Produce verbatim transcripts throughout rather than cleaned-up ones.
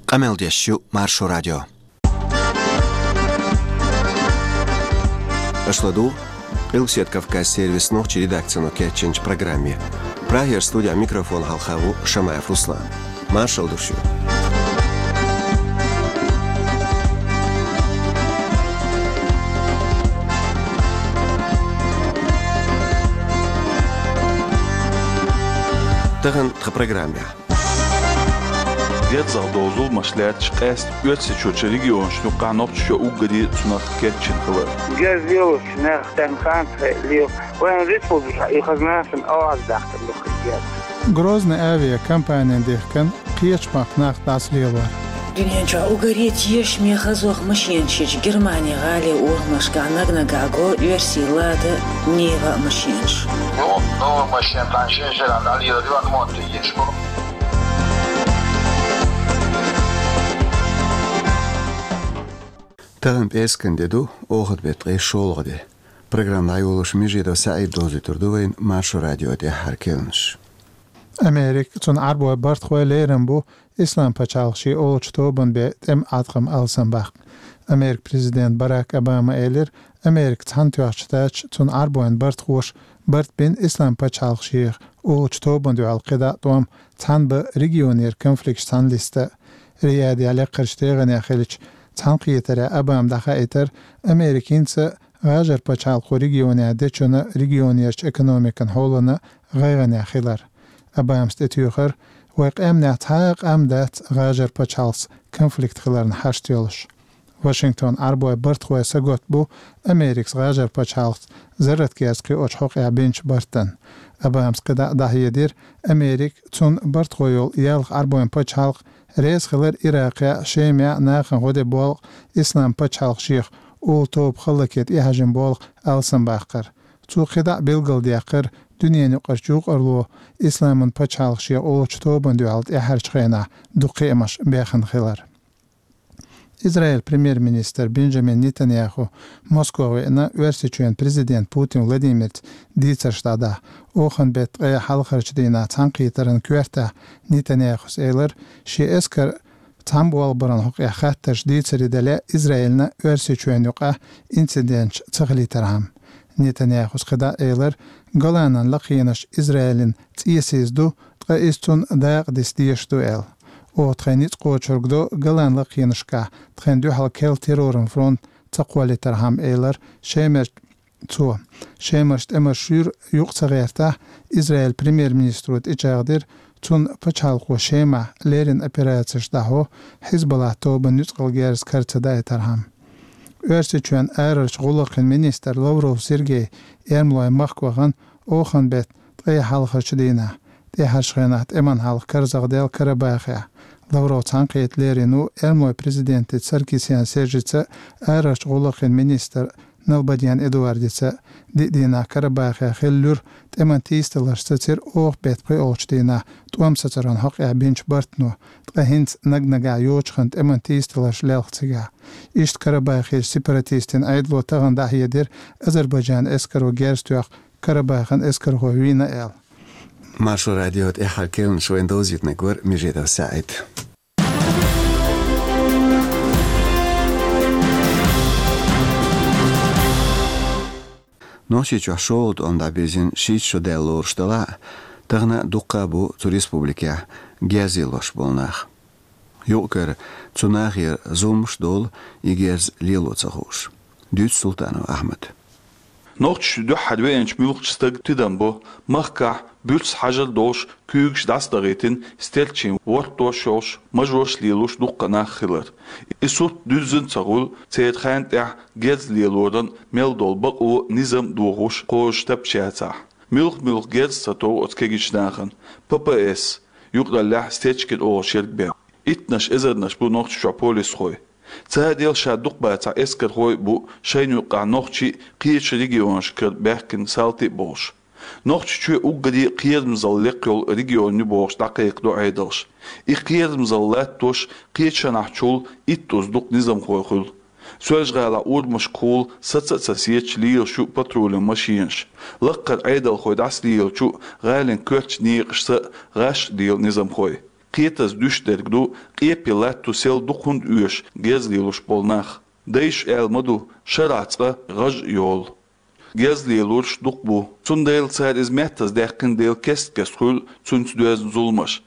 Къамел деш ю Маршо радио. Аша ладугӀу Къилбаседа Кавказан сервисан нохчийн редакцино кечйинчу программе. Прагера студехь микрофон хьалха ву Шамаев Руслан. Маршалла ду шуьга. Тахана тхан программехь. Герзах долу зуламаш лаьтташ къаьстина Оьрсийчоьнан регионашна юкъахь Нохчийчоь уггаре а цунах кечйина хилар. Герз лелочу нах тӀаьхьа хан ца хилла, вайн республикехь и хаза нахана оаз дахкана ду хир герз. Грозный авиакомпанин дехкина кхечу махкахь нах дӀасалелор. Дуьнен чохь уггаре тешаме хазох машенаш ечу Германин гӀалин урамашкахь наг-наггахь го оьрсийн Лада, Нива машенаш. Ну, новая машина, там шесть жира, дали, дали, дали, дали, дали, дали, дали, Тахана пӀераскан де ду, оханан беттан ткъе шолгӀа де. Программа дӀайолош Межидов СаӀид довзуьйтур ду вайна Маршо радион тӀаьххьара керланаш. Америка, цуьнан Ӏарбойн бартахой лерина бу Ислам пачхьалкх шен олучу тобанан бен тӀеман Ӏаткъам алсамбаккха. Америкин президента Барак Обама элира, Америка цхьаьна тоьхча тача цуьнан Ӏарбойн бартахоша барт бина Ислам пачхьалкх шен олучу тобанна дуьхьал кхидӀа а тӀом цхьаьна бан регионера конфликташ цхьаьна листа. Риядехь лекхарчу тегӀанехь хиллачу цхьаьнакхетарехь Обама дӀахаийтира, Америкинца ГӀажар пачхьалкхо регионехь дечунна регионерчу экономикан хьолана гӀайгӀанехь хилар. Обамас тӀетуьйхира, вайн къаьмнехь цхьа а къам дац ГӀажар пачхьалкхца конфликт хиларна хьашт йолуш. Вашингтон Ӏарбойн бартахой сагатта бу Америкас ГӀажар пачхьалкхца зарратгерз кхиочу хьокъехь бинчу бартана. Обамас кхидӀа а дӀахьедира, Америка, цуьнан бартахой йолу ялх Ӏарбойн пачхьалкх реза хилар Иракъехь, Шемехь нахана гӀо де болу Ислам пачхьалкх шех олу тоба хӀаллаке тӀехьажина болу алсамбаккхар. Цо кхидӀа а билгалдаьккхира дуьненан юкъарчу юкъарло Исламан пачхьалкх шех олучу тобанна дуьхьал тӀаьххьарчу хенахь дукха кхиамаш бехна хилар. Израиль премьер-министр Бенджамин Нетаньяху Москва веана Оьрсийчоьнан президент Путин Владимирца дийцарш дӀадахьа. Оханан беттан ткъе хьалхарчу дийнахь цхьаьнакхетаран коьртехь Нетаньяхус элира, шен эскар цхьаьна болх баран хьокъехь хаттарш дийцаре дале Израилна Оьрсийчоьнна юкъахь инциденташ ца хилийтархьама. Нетаньяхус кхидӀа а элира, Голанан лакхенаш Израилан цӀесиз ду, ткъа иза цунна дакъа диса дезаш ду аьлла. Оха тхайн ницкъ кхочург до Голан лакхенашкахь тхайна дуьхьал керла терроран фронт ца кхоллийтархьама, элира Шемер цо. Шемарчу тӀемаша шуьйра юкъа ца гӀертахь, Израиль премьер-министро тӀечӀагӀдира, цунна пачхьалкхо Шемахь леррина операцеш дӀахьо, Хьизбаллахь тобанан нуьцкъала герз кара ца даийтархьама. Оьрсийчоьнан арарчу гӀуллакхийн министр Лавров Сергей эрмалойн махка вахана оханан беттан ткъе хьалхарчу дийнахь, тӀаьххьарчу хенахь тӀеман хьалха карзахдаьлла Карабахехь. Лавров цхьаьнакхета лерина ву эрмалойн президентаца Саркисян Сержица а, арарчу гӀуллакхийн министр Налбандян Эдуардица а. Диъ дийнахь Карабахехь хилла луьра тӀеман тийсадаларш сацира оханан беттан пхоьалгӀачу дийнахь тӀом сацаран хьокъехь бинчу бартано, ткъа хӀинца наг-наггахь йочахана тӀеман тийсадаларш лелха цигахь. Иштта Карабахерчу сепаратистийн Ӏедало тахана дӀахьедира, Азербайджанан эскаро герз тоьхна Карабахан эскархой вийна аьлла. Маршо радион тӀаьххьара керланаш вайна довзийтинарг вара Межидов СаӀид. Нохчийчохь шолгӀа тӀом дӀабирзина шийтта шо даьлла лоруш делахь а, тахана а дуккха а бу цу республикехь герз лелош болу нах. Юкъ-кара цу нахера зуламаш а долу и герз лело ца хууш. Дуьйцу Султанов Ахьмада. Нохчийчу дуьххьара веанчу муьлххачу стага тидам бо махкахь буьрса хьажар долуш, куьйгаш дӀасадахийтина, стерчийн вортош йолуш, мажош лелош дуккха а нах хилар. И сурт дуьззина ца хуьлу, церан хенна тӀехь герз лелоран мел долу бакъо, низам а дохуш кхозуш тапча яцахь. Муьлх-муьлх герз ца тов оцу кегийчу нахана. П П С, юкъараллехь Стечкин олуш ерг бен. Иттанаш эзарнаш бу Нохчийчохь полисхой. Цара дел ша дукха бацахь эскархой а бу, шайна юккъехь нохчий а, кхечу регионашкара баьхкина салти а болуш. Нохчийчоь уггаре а кхерамзалла лекха йолу регион ю бохуш дӀакхайкхадо Ӏедалш. И кхерамзалла латтош кхечанхьчул итт уза дукха низамхой хуьлу. Соьлжа-ГӀалахь урамашкахула саца а ца сецаш лелаш ю патрулан машинаш. Лакхара Ӏедалхой дӀасалелачу а, гӀалин коьртачу некъашца а гӀаш а лела низамхой. Кхетаза дуьш дерг ду, къепе латто сел дукха хӀунда оьшу герз лелош болу нах. Дайша аьлла ма ду, шарахь цкъа гӀаж а йолу. Герз лелорш дукха бу, цундела цара иза меттаза даьккхина дела кест-кеста хуьлу цуьнца доьзна зуламаш.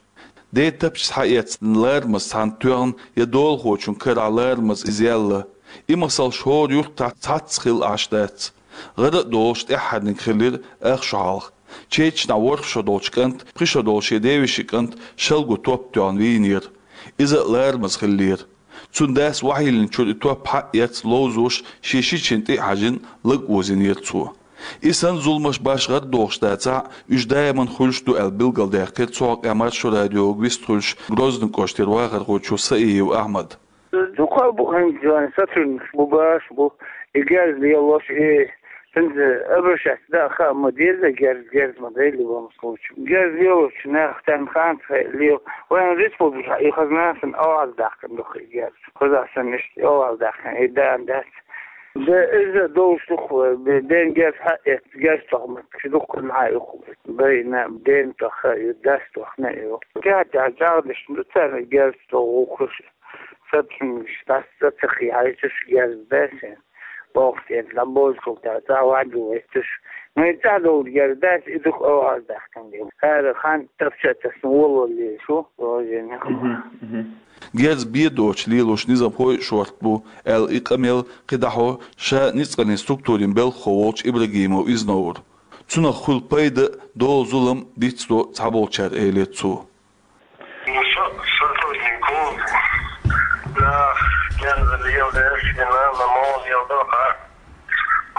Ден тапча схьаэцна ларамаза цхьанна тоьхна я долахочун карахь ларамаза иза яьлла. И масалш хӀора юьртахь цхьацца хилла Ӏаш дац. ГӀара а долуш тӀаьххьарниг хилира ах шо хьалха. Чечнахь ворхӀ шо долчу кӀант, пхи шо долу шен девешин кӀант шалго топ тоьхна вийнера. Иза а ларамаза хиллера. Цуьнан дас охьайиллинчуьра и топ схьа а эцна ловзош, шен шичина тӀе а хьаьжна, лаг озийнера цо. И санна зуламаш башха гӀара дохуш дацахь а, уьш даиман хуьлуш ду аьлла билгалдаьккхира цу хьокъехь Маршо радиога вистхуьлуш Грозный кӀоштара вахархочо Саиев Ахьмада. Дукха бу хӀинца сотрудникаш бу, баш бу, и герз лелош, и хӀинца обращаться дан а хаа ма деза, герз, герз ма дайли ван случай. Герз лелочу нах тан хан лел. Вайн республика и хазнасан аваз дахкан духи герз. Хоза сан ништи аваз дахкан, и дан дац. Да иза долуш духу, бе-, ден герз хьаэт, герз тохмат, чи духкун хьа юху. Байна, ден тоха, ю дас тохна ю. Тя, тя, жагдиш, ну, царна герз то ухуш. Сатун, стас, сатахи, хьайчуш герз бесен. Бохтен, ламбозкул, та, та, ваду, эстуш. Ну, и та дол герз бес, и дух аваз дахкан ден. Хара хан тапча тас, воло лешу, ожен. Мгм, мгм. Герз бен доцуш лелош низамхой а шорта бу, аьлла и къамел кхидӀахьо ша ницкъанийн структурийн белхахо волчу Ибрагимов Изновра. Цунах хуьлу пайда а, долу зулам а дицдо цхьаболчара, элира цо. Ну, со-, сотрудник клуба. Да, герз лелдеш, и, наверное, мол лелдо, а?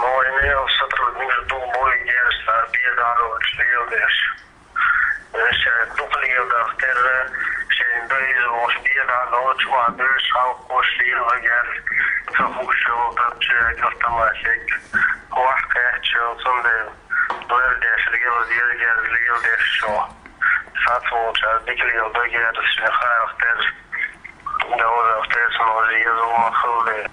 Мой мел сотрудник ду бой герз, а бен дӀа лелдеш. Ша дукха лелдах терра, шайн дайза волуш бен дӀа лелдеш, ва беш халкъ кош лело герз. Ца хууш йолу тапча автоматик. Вахь кхетча, цундела лелдеш, лело деза герз, лелдеш шо. Сац волчара дика лелдо герз, шайн харах терра. Довзах терра, сан уже еза ма хилла.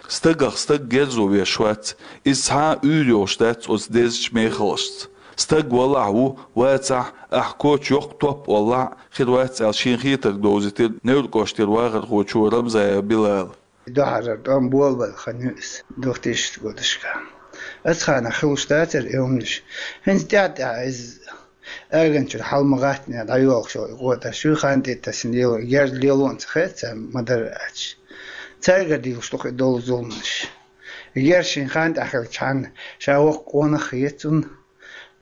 Стагах стаг герзо веш вац, иза цхьа а уьйр йолуш дац оцу дезачу мехалашца. Стаг валахь ву, вацахь, ахь коча йоккха топ оллахь а, хир вац аьлла шен хетарг довзийтира Невран кӀоштара вахархочо Рамзаев Билала. Дуьхьара тӀом болабелла хан ю иза, двухтысячных годашка. Оцу ханахь хилуш дацара и хӀуманаш. ХӀинца тӀаьхь-тӀаьхьа иза аганчуьра хьал ма гӀаттане дӀайолхуш йолу и къоташ ю, хан тӀе тасина лело, герз лело а ца хета царна ма-дарра аьлча. Цаьргара дийлуш ду-кх и долу зуламаш. Герз шен хан тӀехь хилчхьана, ша воккха къонах а хета цунна,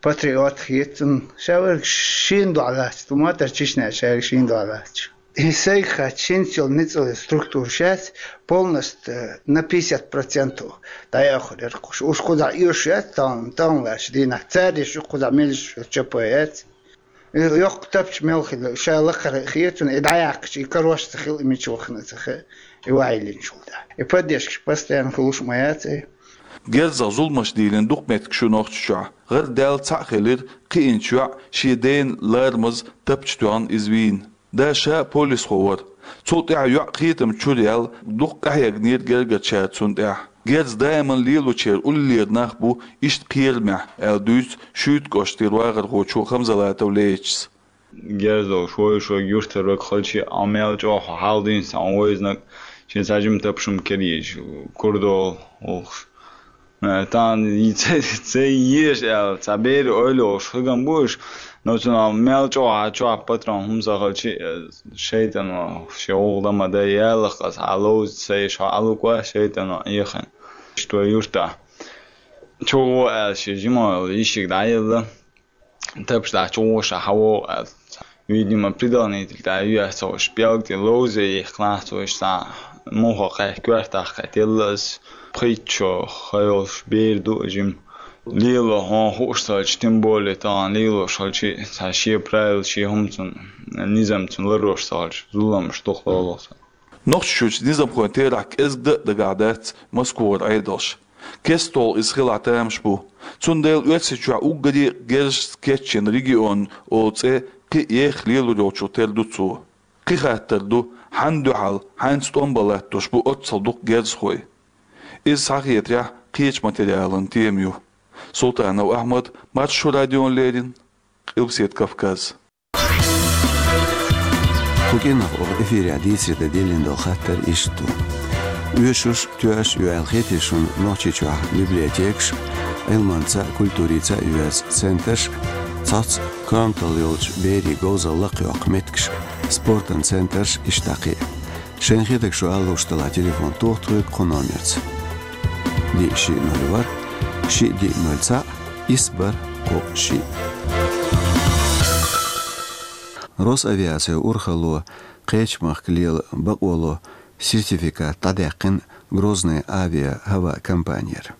патриот а хета цунна, ша верг шена дуьхьал лаьцна, ту ма-дарра Чечняхь шаьрга шена дуьхьал лаьцна. И сайга хаьттича, хӀинца йолу ницкъаллин структура шаьш полностью на пятьдесят процентов дӀаяхур яра-кх уьш. Уьш кхузахь оьшуш яц тахана, тахана лаьттачу дийнахь. Цара еш ю кхузахь мелаш чопа яц. И йоккха тапча мел хилла, ша лакхара а хета цунна, и дӀаяьккхича, и карош ца хилла, и мича вахана а ца хаьа, и ваьхьийлинчул тӀаьхьа. И поддержкаш постоянно хуьлуш а ма яц и. Герзах зуламаш дийлина дукха меттигаш ю Нохчийчохь. ГӀара даьлла цхьаъ хилира кхиъначу йоӀа шен дена ларамаза тапча тоьхна иза вийна. Да ша а полисхо вара. Цул тӀаьхьа йоӀ кхетам чуьра яьлла, дукха къахьегнера гергарчара цунна тӀехь. Герз даиман лелочеран уллера нах бу иштта кхерамехь, аьлла дуьйцу Шуьйта кӀоштара вахархочо Хамзалатов Лейтас. Герз долуш вовшашка юьртара вага хилча а, мел чӀогӀа хьал дийна сан вайзнаг, шен цхьа жима тапча-м кхера езаш, кура долу вовшаш. Э, тахана ца, ца езаш аьлла, цхьа берийн ойла йолуш хигам бу уьш, но цунах мел чӀогӀа чохь патрон хӀума ца хилча а, э, шайтӀано шен гӀуллакх дан ма дай, яллакх аса хьан ловза ца еш хьо Ӏалуква, шайтӀано Ӏехийна. Иштта вай юьртахь чу гӀо аьлла шен жима йолу йишиг дӀаелла. Тапча дахьа чу гӀо ша хьан вогӀу аьлла. Видимо, предохранитель тӀехь ю яц ца хууш, пӀелг тӀе ловза яхкина цо, иштта цхьа муха кхаьхьа коьртах кхетелла аса. Пхийтта шо хан йолуш бер ду жима. Лело хьуна хууш ца хилча, тем более тахана лелош хилча, цхьа шен правила, шен хӀума цунна, низам цунна ларъеш ца хилча, зуламаш дукха долу цунна. Нохчийчуьрчу низамхойн терахь кӀезга дан а дагахь дац Москвара Ӏедалш. КестолгӀа иза хилахь тамаш бу. Цундела Оьрсийчохь уггаре а герзашца кечйина регион олу цӀе кхин а еха лелор йолчух тера ду цо. Кхин хаттар ду, хьанна дуьхьал, хьаьнца тӀом бан латтош бу оццул дукха герзахой. Иза схьахетарехь кхечу материалан тема ю. Султанов Ахьмад, Маршо радиона леррина, Къилбаседа Кавказ. Къинах оха эфирехь дийцаре дан диллина долу хаттар иштта ду. Оьшуш, тоьаш ю аьлла хетий шуна Нохчийчохь библиотекаш, Ӏилманца а, культурица а йоьрзу центраш, цхьацца коьматалла йолчу берийн говзалла лакхайоккху меттигаш, спортан центраш, иштта кхин а. Шайна хетарг шу ала лууш делахь, телефон тоха тхоьга кху номерца: диъ шиъ ноль ворхӀ, шиъ диъ ноль цхьаъ, исс бархӀ кхоъ шиъ. Росавиацин урхалло кхечу махка лела бакъоло сертификат дӀадаьккхина Грозный авиа-хӀаваъ компанера.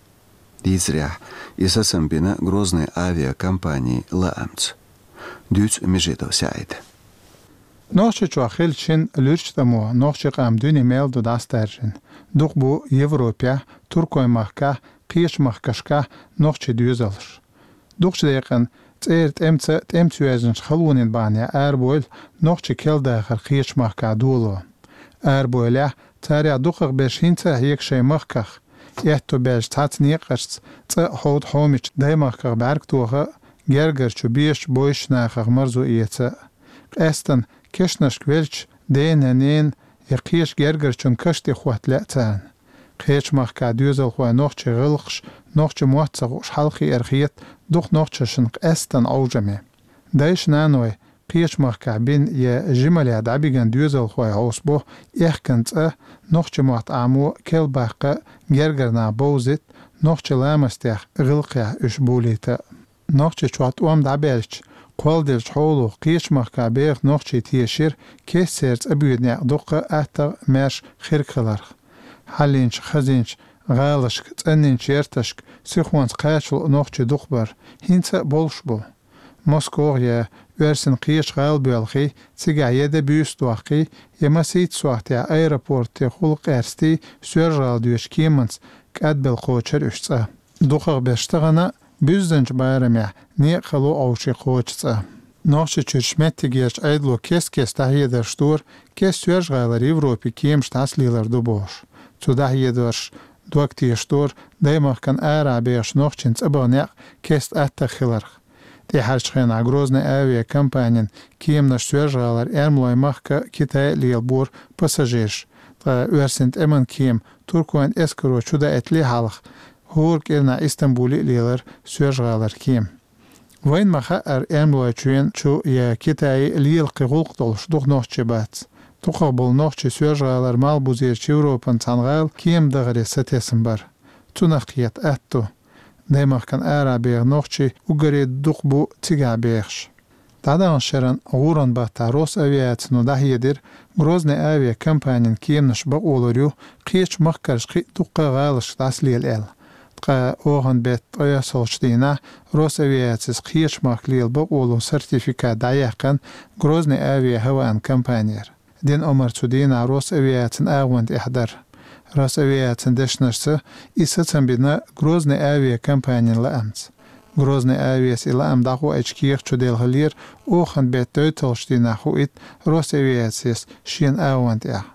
Дийцарехь, и сацам бина Грозный авиакомпанин лаамца. Дуьйцу Межидов СаӀида. Нохчийчохь хиллачу шина луьрачу тӀамо нохчийн къам дуьне мел ду дӀасадаьржина. Дукха бу Европехь, Туркойн махкахь, кхечу махкашкахь нохчийн доьзалш. Дукхачу декъана цӀера тӀемца, тӀемца йоьзначу халонийн бахьанехь арабевлла нохчийн керла дахар кхечу махкахь доло. Арабевллехь, царех дукхахберш хӀинца а хьега шайн махках, аьтто баьлча цхьацца некъашца цӀа а, хьовда а хьомича даймахках бӀаьрг тоха а, гергара чу безачу бовзачу нахах марзо эца а. Къаьстина кешнашка веллачу дена, ненан я кхечу гергарчун каш тӀе хӀотта лаьа царна. Кхечу махкахь доьзалхойн нохчийн гӀиллакхаш нохчийн мотт ца хууш хьалакхиар хета дукха нохчашна къаьстина Ӏовжаме. Дайша-наной кхечу махкахь бина я жималлехь дӀабигна доьзалхой хьовсабо аьхкан цӀа, нохчийн мотт Ӏамо, керла баккха а, гергара нах бовзийта, нохчийн ламастех, гӀиллакхех уьш болийта а. Нохчийчохь тӀом дӀабаьлча, кхолладеллачу хьоло кхечу махкахь беха нохчий тешира кест церан цӀа боьду некъ дуккха а аттагӀа, маьрша, хирг хиларх. Хьаллинчу, хазинчу гӀалашка, цӀанйинчу ярташка сихонца кхачало а нохчий дукха бара, хӀинца а болуш бу. Москох я оьрсийн кхечу гӀала боьлхий, цигахь я де буьйса дохкий, я масийтта сохьтехь аэропортехула къаьрстий, Соьлжа-ГӀала доьдучу кеманца кӀадбелла кхочура уьш цӀа. Дукхахберш тахана а буьззинчу барамехь некъ хало Ӏовший кхочу цӀа. Нохчийчуьрчу меттигерчу Ӏедало кест-кеста дӀахьедарш дора, кеста Соьлжа-ГӀалара Европин кеманаш дӀасалелар ду бохуш. Цу дӀахьедарша дог тешадора даймахкана арахь бехачу нохчийн цӀа баха некъ кеста аттагӀа хиларх. ТӀаьхьарчу хенахь Грозный авиакомпанин кеманаш Соьлжа-ГӀалара Эрмалойн махка а, Китае а лелабора пассажираш, ткъа оьрсийн тӀеман кема Туркойн эскаро чудаийтале хьалха, хӀора кӀирнахь Истамбуле а лелара Соьлжа-ГӀалара кема. Вайна ма-хаъара, Эрмалойчоьнан чу я Китае а лела кхин гӀуллакх долуш дукха нохчий бац. Дукхахболу нохчий Соьлжа-ГӀалара Малхбузерчу Европан цхьана гӀала кема дахаре сатесна бара. Цунах кхета атта ду. Даймахкана арахь беха нохчий уггаре дукха бу цигахь бехаш. ДӀадаханчу шеран гӀуран баттахь Росавиацино дӀахьедира, Грозный авиакомпанин кеманаш бакъо лур ю кхечу махкарчу кхин а дуккха а гӀалашка дӀасалела аьлла. Ткъа оханан беттан ткъайоьсналгӀачу дийнахь Росавиацис кхечу махка лела бакъолун сертификат дӀаяьккхина Грозный авиа-хӀаваан компанера. Дина омра цу дийнахь Росавиацин агӀонна тӀехь дара. Росавиацин дешнашца, и сацам бина Грозный авиакомпанин лаамца. Грозный авиас и лаам дӀахоуьйтучу кехат чу делхалера оханан беттан дойталгӀачу дийнахь хуийта Росавиацис шена агӀонна тӀехь.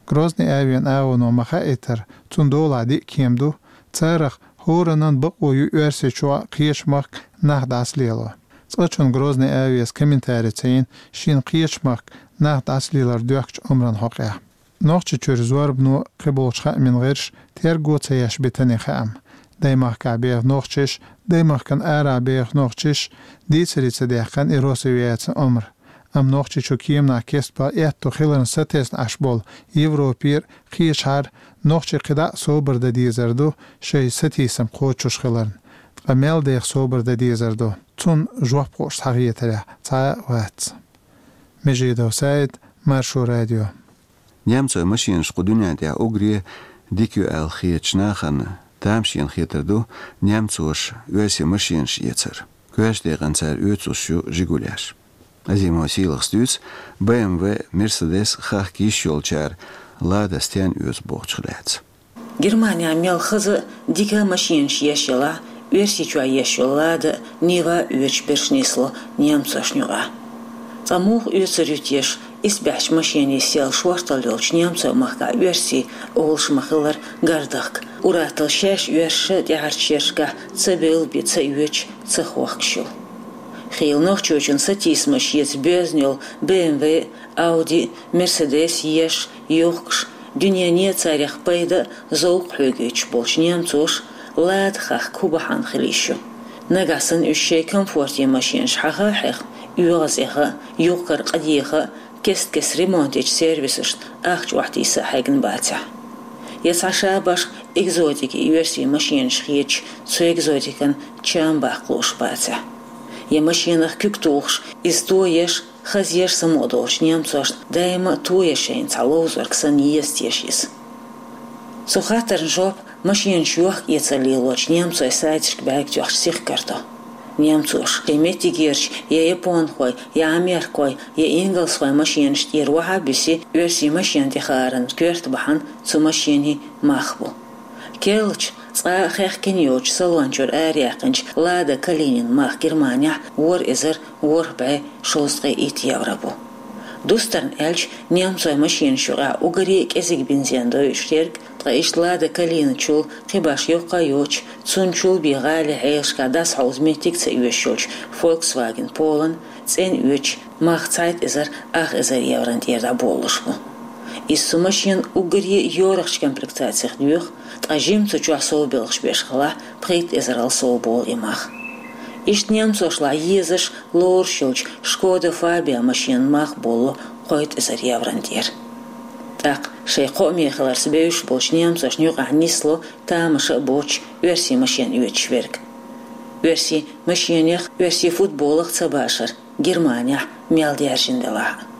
Грозный авиан агӀоно ма-хаийтара, цунна долахь диъ кема ду, царах хӀораннан бакъо ю Оьрсийчохь а, кхечу махка нах дӀасалело. Цкъачунна Грозный авиас комментари ца йина шена кхечу махка нах дӀасалелар доьхкучу омран хьокъехь. Нохчийчуьра зорбано, кхиболчу хаамийн гӀирсаша терго ца еш битина и хаам. Даймахкахь беха нохчаша, даймахкана арахь беха нохчаша дийцаре ца даьккхина и Росавиацин омра. Амма Нохчийчу кеманах кестбан аьтто хиларна сатесна Ӏаш болу Европера, кхечахьара нохчий кхидӀа а собар дан дезар ду, шайн сатийсам кхочуш хиларна. Ткъа мел деха собар дан дезар ду, цунна жоп хууш схьахетарехь цхьа а вац. Межидов СаӀид, Маршо радио. Немцойн машенаш кху дуьнен тӀехь уггаре дика ю аьлла хетачу нахана тамашийна хетар ду немцоша оьрсийн машенаш эцар. Коьртачу декъана цара оьцуш ю жигулеш. Азимов Сийлахьас дуьйцу, Б М В, Мерседес хахка йиш йолчара Лада стенна оьцу бохучух лаьцна. Германехь мел хаза а, дика а машенаш еш ялахь, Оьрсийчохь еш йолу Лада а, Нива а оьцуш берш нисло немцошна юкъахь. Цкъа муха оьцур ю теша, исбаьхьчу машенийн сел шорталла йолчу Немцойн махкахь оьрсийн олуш ма-хиллара гардахка, ур-атталла шаьш оьрсаша тӀаьхьарчу шерашкахь ца бевлла бен ца оьцуш, ца хохкуш йолу. Хийла нохчочун сатийсамаш еза боьзна йола Б М В, Ауди, Мерседес еш, юхкуш, дуьнене царех пайда, зовкх хьоьгуьйтуш болчу немцоша Лада хахка хӀун бахьана хила йиш ю? Нагахь санна уьш шайн комфорте машенаш хьаха а хьеха, оьгӀаз эха а, юхкар къа деха а, кест-кеста ремонтечу сервисашна ахча охьатийса а хьегна бацахь? Я цхьа ша башха экзотика и оьрсийн машенаш хеташ, цу экзотикан чам баккха лууш бацахь? Я машенах куьг тухуш, иза тоеш, хазъеш самукъадолчу немцошна даима а тоеш шайна цхьа ловзорг санна еза теша иза? Цу хаттарна жоп машенаш йохка-эцар лелочу немцойн сайташка бӀаьрг тоьхча сихкар до. Немцоша шайн меттигерчу я японхой, я америкхой, я ингалсхой машенаш тӀера охьа а буьсий, оьрсийн машен тӀехааран коьрта бахьана цу машенийн мах бу. Керлачу, цкъа а хехкина йоцучу салон чуьра араяьккхинчу Лада Калинин мах Германехь ворхӀ эзар ворхӀ бӀе шовзткъе итт евро бу. Дустарна аьлча, немцойн машенаш юкъахь уггаре а кӀезиг бензин дойуш ерг, ткъа иштта Лада Калина чул кхин башха йоккха а йоцуш, цунна чул бен гӀалин хьелашкахь дӀасахьовза меттиг а ца оьшуш йолчу Volkswagen Polo-н цӀена оьцуш мах цхьайтта эзар ах эзар еврон тӀера дӀаболалуш бу. Иза цу машенан уггаре а йорахчу комплектацех доьху, ткъа жимма цу чохь совбелхаш беш хилахь, пхийтта эзарал совболу и мах. Иштта немцошлахь езаш, лоруш йолчу Шкода Фабия машенан мах боллу кхойтта эзар еврон тӀера. ТӀаккха шайн кхоаме хиларца бевзаш болчу немцошна юкъахь нисло тамаша а боцуш оьрсийн машен оьцуш верг. Оьрсийн машенех, оьрсийн футболах ца башар Германехь мел даьржина делахь а.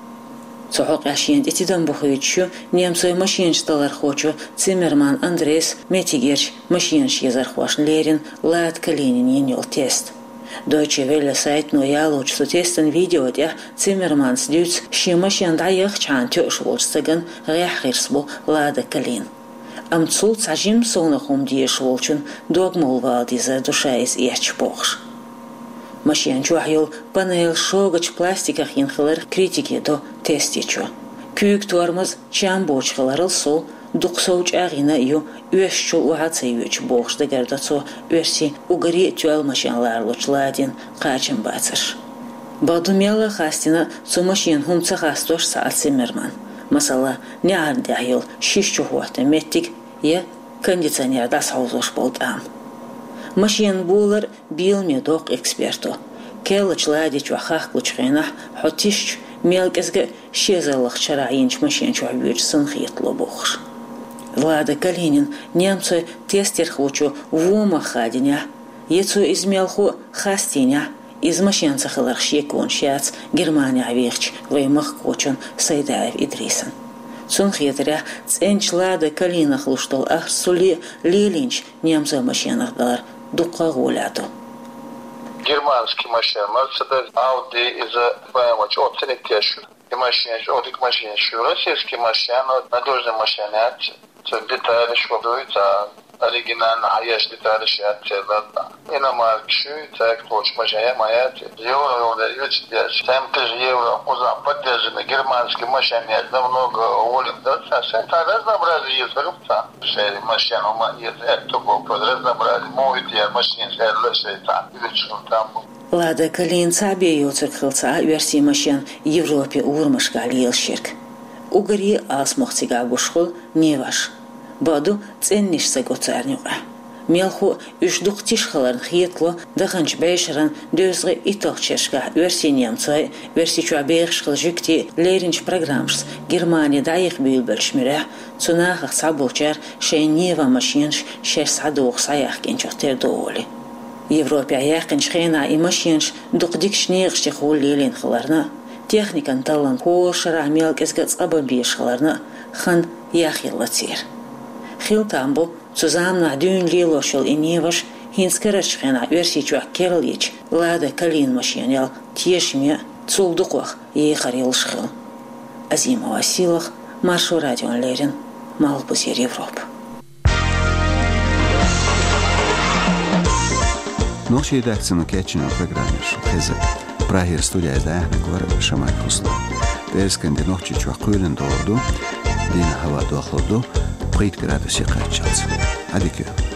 Цу хьокъехь шена тӀе тидам бохуьйтуш ю немцойн машенаш талархочо Циммерман Андрейс меттигерчу машенаш езархошна леррина Лада Калинина йина йолу тест. Deutsche Welle сайтано ялочу цу тестан видео тӀехь Циммерманс дуьйцу шен машен дӀаяххачхьана тоьуш волчу стагана гӀеххьа гӀирс бу Лада Калина. Амма цул цхьа жимма совнаха хӀума дезаш волчун дог мовла вала дезар ду ша иза эцча бохуш. Машен чохь йолу панель шогачу пластиках йина хилар критике до тестечо. Куьйга тормоз чам боцуш хиларал сов, дукха сов чӀагӀйина а ю, оьшучул охьа а ца йоьдуш бохуш дагардо цо оьрсийн уггаре а тоьлла машен ларалучу Ладин кхачамбацарш. Бакъду, мелла а хастийна цу машенан хӀума ца хастош ца Ӏа Циммерман. Масала, неӀарна тӀехь йолу шиша чухӀоттан меттиг я кондиционер дӀасахьовзош болу тӀам. Машенан болар бийламе доккху эксперто. Керлачу Лади чохь хахкалучу хенахь хьо тишчу мел кӀезга а ши эзарлагӀчу шарахь йинчу машен чохь воьдуш санна хетало бохуш. Лада Калинин немцойн тестерхочо вон мах хадийнехь, я цо иза мелхо а хастийнехь, иза машен ца хиларх шеконаш яц Германехь вехачу вайн махкахочун Сайдаев Идрисан. Цунна хетарехь, цӀеначу Лада Калинах луш долу ахча цуле а лелийначу немцойн машенах далар дуккха а гӀоле ду. Германский машина, Мерседес, Ауди, иза Б М В чӀогӀа цӀена теш ю. И машинаш, о, дика машинаш ю. Российский машина, надёжный машина яц. Цу деталаш вадуй, ца оригинально хьаеш деталаш яц, ца ладна. Иномаркаш ю, ца кхочу машина ма яц. Евро, евро, ю, ца деш. Семь тысяч евро, кузов поддержанный германский машина яц, намного волим, да, ца, ца, ца разнообразие есть, ца. Шери машина, ма, есть, это, вот, разнообразие. Мой, я машина, ца, лошадь, ца, или что там. Лада Калина цхьаъ бен йоцург хилла ца Ӏа оьрсийн машен Европе урамашкахь лелаш ерг. Уггаре а алсамох цигахь гуш хуьлу Ниваш. Бакъду, цӀеннаш ца го царна юкъахь. Мелхо а уьш дукха тиша хиларна хетало, даханчу бӀешеран дезткъе итталгӀачу шерашкахь оьрсийн немцой а, Оьрсийчохь бехаш хилла жуьгтий а лерринчу программашца Германи дӀаяха буьйлабеллачу муьрехь, цу нахах цхьаболчара шайн Нива машенаш шаьш схьадоху схьаяхкинчух тера ду олий. Европехь яьккхинчу хенахь и машенаш дукха дикачу некъаш тӀехула лелийна хиларна а, техникан таллам хӀора шарахь мел кӀезга а цкъа бан безаш хиларна а, хан яхъелла церан. Хила там бу, цу заманахь дуьйна лелош йолу и Ниваш хӀинца карарчу хенахь Оьрсийчохь керла йича, Лада Калина машенал тешаме а, цул дукхох ехар йолуш хила. Азимова Силах, Маршо радиона леррина, Малхбузера Европа. Нохчийн редакцино кечйина программа шу хеза. Прагера студияйда дӀаяхьнарг вара Шамаев Руслан. ПӀераскан де Нохчийчохь кхоьлина догӀур ду, дийнахь хӀаваъ дохлур ду, пхийтта градусе кхаччалц. Ӏадика йойла.